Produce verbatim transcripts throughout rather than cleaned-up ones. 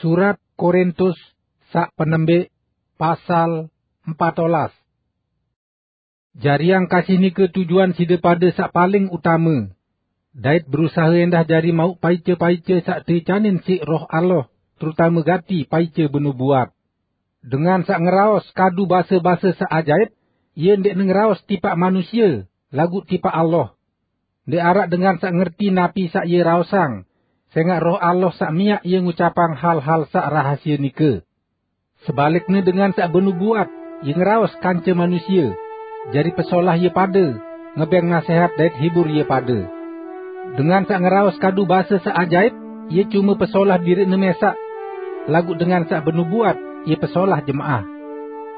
Surat Korintus saq penembik, pasal empat olas. Jariang kasih nike tujuan side pade saq paling utame, dait berusahe endah jari mauq paice-paice saq teicanin siq Roh Allah, terutame gati paice benubuat. Dengan saq ngeraos kadu base-base saq ajaip, ie ndeqne ngeraos tipaq manusie, laguq tipaq Allah. Ndeq araq dengan saq ngerti napi saq ie raosang, sengaq Roh Allah saq miaq ie ngucapang hal-hal saq rahasie nike. Sebalikne, dengan saq benubuat, ie ngeraos kance manusie, jari pesolah ie pade, ngebeng nasehat dait hibur ie pade. Dengan saq ngeraos kadu base saq ajaip, ie cume pesolah diriqne mesaq, laguq dengan saq benubuat, ie pesolah jemaah.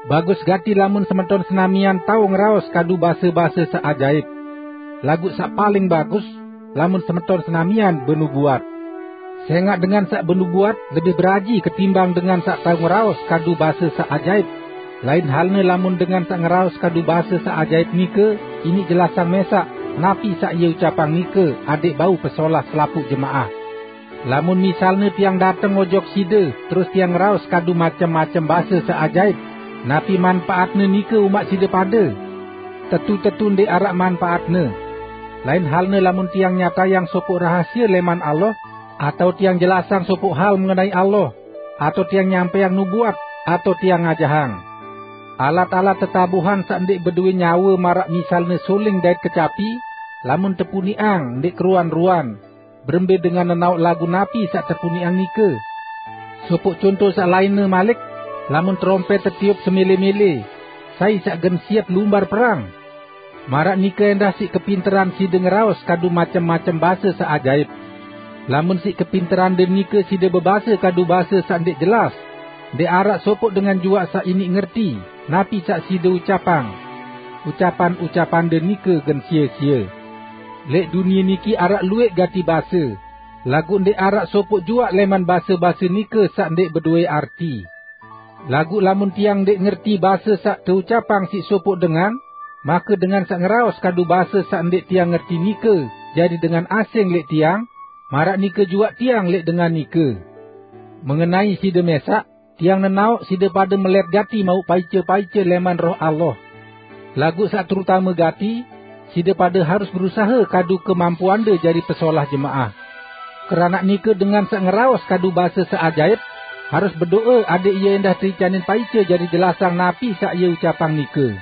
Bagus gati lamun semeton senamian tao ngeraos kadu base-base saq ajaip. Laguq saq paling bagus, lamun semeton senamian benubuat. Sengaq dengan saq benubuat lebih beraji ketimbang dengan saq tao ngeraos kadu base saq ajaip. Lain halne, lamun dengan saq ngeraos kadu base saq ajaip nike iniq jelasang mesaq napi saq ie ucapang nike adẽq bau pesolah selapuq jemaah. Lamun misalne tiang dateng ojok side, terus tiang ngeraos kadu macem-macem base saq ajaip, napi manpaatne nike umaq side pade? Tetu-tetu ndeq araq manpaatne. Lain halne, lamun tiang nyatayang sopoq rahasie leman Allah, atao tiang jelasang sopoq hal mengenai Allah, atao tiang nyampaiang nubuat, atao tiang ngajahang. Alat-alat tetabuhan saq ndeq bedoe nyawe maraq misalne suling dait kecapi, lamun tepuniqang ndeq keruan-ruan, berembe dengan nenaoq lagu napi saq tepuniqang nike? Sopoq conto saq lainne malik, lamun terompet tetiup semele-mele, sai saq gen siep lumbar perang? Maraq nike endah siq kepinteran side ngeraos kadu macem-macem base saq ajaip. Lamun siq kepinterande nike side bebase kadu base saq ndeq jelas, ndeq araq sopoq dengan juaq saq iniq ngerti napi saq side ucapang. Ucapan-ucapande nike gen sie-sie. Leq dunie niki araq lueq gati base, laguq ndeq araq sopoq juaq leman base-base nike saq ndeq bedoe arti. Laguq lamun tiang ndeq ngerti base saq teucapang siq sopoq dengan, make dengan saq ngeraos kadu base saq ndeq tiang ngerti nike jari dengan asing leq tiang, maraq nike juaq tiang leq dengan nike. Mengenai side mesaq, tiang nenaoq side pade melet gati mauq paice-paice leman Roh Allah. Laguq saq terutame gati, side pade harus berusahe kadu kemampuande jari pesolah jemaah. Keranaq nike, dengan saq ngeraos kadu base saq ajaip, harus bedoe adẽq ie endah teicanin paice jari jelasang napi saq ie ucapang nike.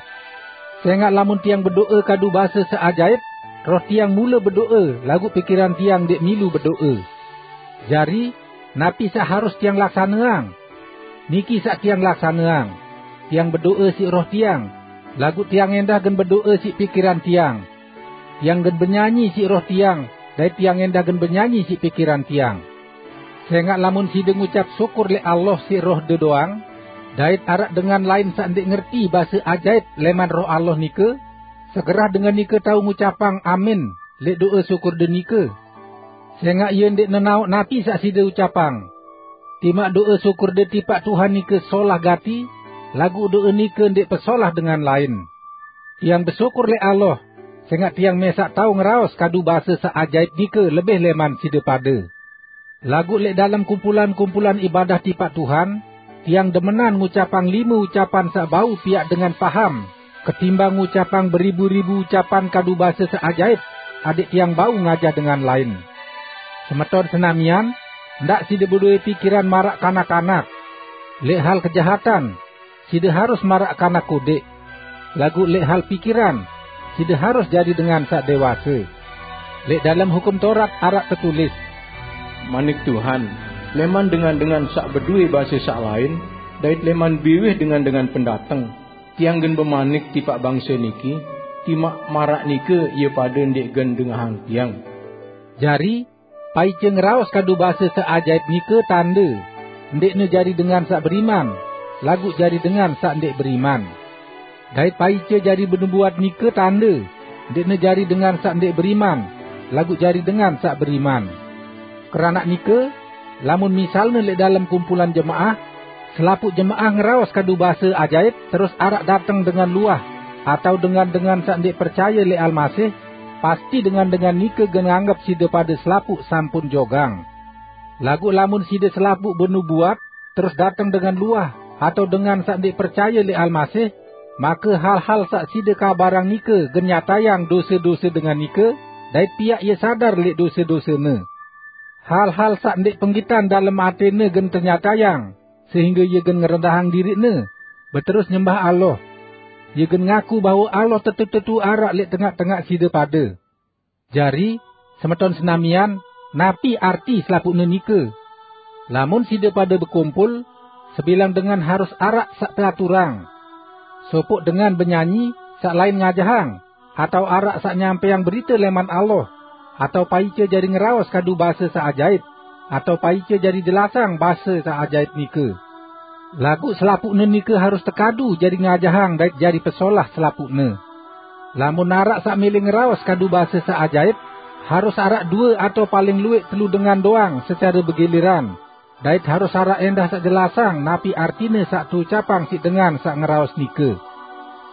Sengaq lamun tiang bedoe kadu base saq ajaip, roh tiang mule bedoe, laguq pikiran tiang ndeq milu bedoe. Jari, napi saq harus tiang laksaneang? Niki saq tiang laksaneang: Tiang bedoe siq roh tiang, laguq tiang endah gen bedoe siq pikiran tiang. Tiang gen benyanyi siq roh tiang, dait tiang endah gen benyanyi siq pikiran tiang. Sengaq lamun side ngucap syukur leq Allah siq rohde doang, dait araq dengan lain saq ndeq ngerti base ajaip leman Roh Allah nike, segerah dengan nike tao ngucapang "Amin" leq do'e sukurde nike. Sengaq ie ndeq nenaoq napi saq side ucapang. Timaq do'e sukurde tipaq Tuhan nike solah gati, laguq do'e nike ndeq pesolah dengan lain. Tiang besyukur leq Allah, sengaq tiang mesaq tao ngeraos kadu base saq ajaip nike lebih leman side pade. Laguq leq dalem kumpulan-kumpulan ibadah tipaq Tuhan, tiang demenan ngucapang lime ucapan saq bau piaq dengan paham, ketimbang ngucapang beribu-ribu ucapan kadu base saq ajaip, adẽq tiang bau ngajah dengan lain. Semeton senamian, ndaq side bedoe pikiran maraq kanak-kanak. Leq hal kejahatan, side harus maraq kanak kodeq. Laguq leq hal pikiran, side harus jari dengan saq dewase. Leq dalem Hukum Taurat araq tetulis, "Manik Tuhan, leman dengan-dengan saq bedoe base saq lain, dait leman biwih dengan-dengan pendateng, tiang gen bemanik tipaq bangse niki, timaq maraq nike ie pade ndeq gen dengahang tiang." Jari, paice ngeraos kadu base saq ajaip nike tande, ndeqne jari dengan saq beriman, laguq jari dengan saq ndeq beriman. Dait paice jari benubuat nike tande, ndeqne jari dengan saq ndeq beriman, laguq jari dengan saq beriman. Keranaq nike, lamun misalne leq dalem kumpulan jemaah, selapuq jemaah ngeraos kadu base ajaip, terus araq dateng dengan luah, atao dengan-dengan saq ndeq percaye leq Almasih, pasti dengan-dengan nike gen nganggep side pade selapuq sampun jogang. Laguq lamun side selapuq benubuat, terus dateng dengan luah, atau dengan saq ndeq percaye lẽq Almasih, make hal-hal saq side kabarang nike gen nyatayang dose-dose dengan nike, dait piaq ie sadar lẽq dose-dosene. Hal-hal saq ndeq penggitan dalem atẽne gen tenyatayang, sehingge ie gen ngerendahang diriqne, beterus nyembah Allah. Ie gen ngaku bahwe Allah tetu-tetu araq lẽq tengaq-tengaq side pade. Jari, semeton senamian, napi arti selapuqne nike? Lamun side pade bekumpul, sebilang dengan harus araq saq peaturang. Sopoq dengan benyanyi, saq lain ngajahang, atao araq saq nyampeang berite lẽman Allah, atao paice jari ngeraos kadu base saq ajaip, atao paice jari jelasang base saq ajaip nike. Laguq selapuqne nike harus tekadu jari ngajahang dait jari pesolah selapuqne. Lamun araq saq mele ngeraos kadu base saq ajaip, harus araq due atao paling lueq telu dengan doang secare begiliran, dait harus araq ẽndah saq jelasang napi artine saq teucapang siq dengan saq ngeraos nike.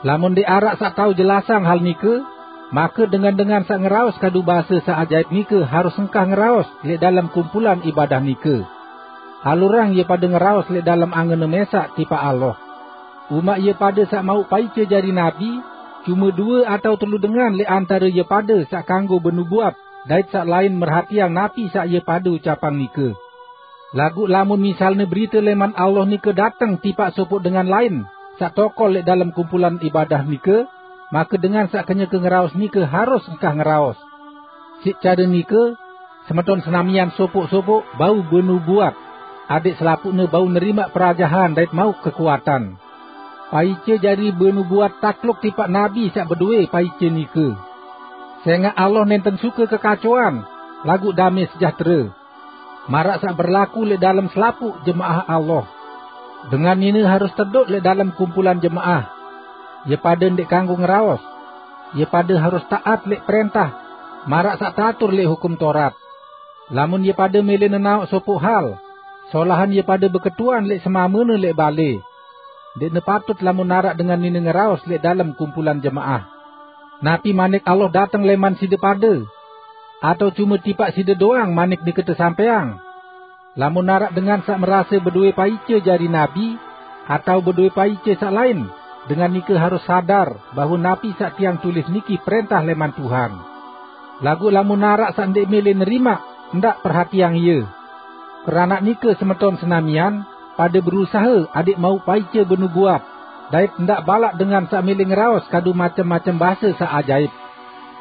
Lamun ndeq araq saq tao jelasang hal nike, make dengan-dengan saq ngeraos kadu base saq ajaip nike harus engkah ngeraos lẽq dalem kumpulan ibadah nike. Alurang ie pade ngeraos lẽq dalem angenne mesaq tipaq Allah. Umaq ie pade saq mauq paice jari nabi, cume due atao telu dengan lẽq antare ie pade saq kanggo benubuat, dait saq lain merhatiang napi saq ie pade ucapang nike. Laguq lamun misalne berite lẽman Allah nike dateng tipaq sopoq dengan lain saq tokol lẽq dalem kumpulan ibadah nike, make dengan saq kenyeke ngeraos nike harus engkah ngeraos. Siq care nike, semeton senamian sopoq-sopoq bau benubuat, adẽq selapuqne bau nerimaq perajahan dait mauq kekuatan. Paice jari benubuat takluk tipaq nabi saq bedoe paice nike. Sẽngaq Allah nẽnten suke kekacoan, laguq dame sejahtere. Maraq saq berlaku lẽq dalem selapuq jemaah Allah. Dengan nine harus tedoq lẽq dalem kumpulan jemaah. Ie pade ndeq kanggo ngeraos. Ie pade harus taat lẽq prẽntah, maraq saq teatur lẽq Hukum Taurat. Lamun ie pade mele nenaoq sopoq hal, solahan ie pade beketuan lẽq semamene lẽq bale. Ndeqne patut lamun araq dengan nine ngeraos lẽq dalem kumpulan jemaah. Napi manik Allah dateng lẽman side pade? Atao cume tipaq side doang manik nike tesampẽang? Lamun araq dengan saq merase bedoe paice jari nabi, atao bedoe paice saq lain, dengan nike harus sadar bahwe napi saq tiang tulis niki prẽntah lẽman Tuhan. Laguq lamun araq saq ndeq mele nerimaq, ndaq perhatiang ie. Keranaq nike, semeton senamian, pade berusahe adẽq mauq paice benubuat, dait ndaq balaq dengan saq mele ngeraos kadu macem-macem base saq ajaip.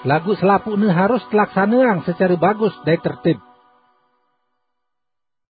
Laguq selapuqne harus telaksaneang secare bagus dait tertib.